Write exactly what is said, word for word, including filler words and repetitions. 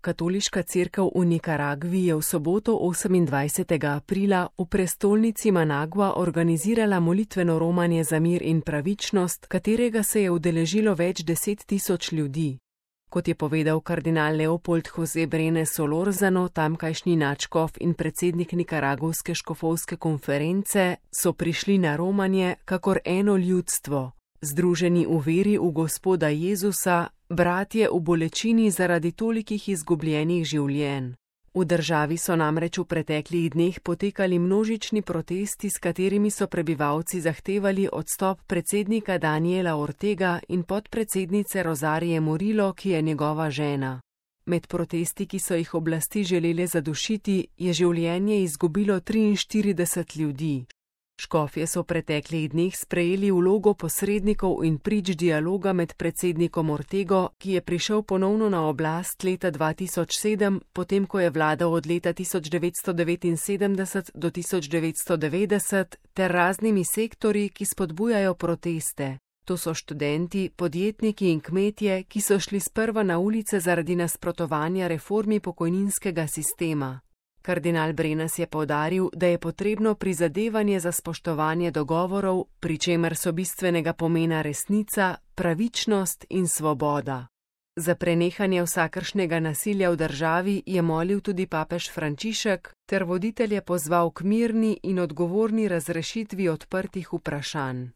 Katoliška cerkev v Nikaragvi je v soboto osemindvajsetega aprila v prestolnici Managua organizirala molitveno romanje za mir in pravičnost, katerega se je udeležilo več deset tisoč ljudi. Kot je povedal kardinal Leopold José Brenes Solorzano, tamkajšnji nadškof in predsednik nikaragovske škofovske konference, so prišli na romanje kakor eno ljudstvo, združeni v veri v Gospoda Jezusa, bratje v bolečini zaradi tolikih izgubljenih življenj. V državi so namreč v preteklih dneh potekali množični protesti, s katerimi so prebivalci zahtevali odstop predsednika Daniela Ortega in podpredsednice Rozarije Murillo, ki je njegova žena. Med protesti, ki so jih oblasti želele zadušiti, je življenje izgubilo triinštirideset ljudi. Škofje so v preteklih dneh sprejeli vlogo posrednikov in prič dialoga med predsednikom Ortego, ki je prišel ponovno na oblast leta dva tisoč sedem, potem ko je vladal od leta tisoč devetsto devetinsedemdeset do tisoč devetsto devetdeset, ter raznimi sektorji, ki spodbujajo proteste. To so študenti, podjetniki in kmetje, ki so šli sprva na ulice zaradi nasprotovanja reformi pokojninskega sistema. Kardinal Brenes je poudaril, da je potrebno prizadevanje za spoštovanje dogovorov, pri čemer so bistvenega pomena resnica, pravičnost in svoboda. Za prenehanje vsakršnega nasilja v državi je molil tudi papež Frančišek ter voditelje pozval k mirni in odgovorni razrešitvi odprtih vprašanj.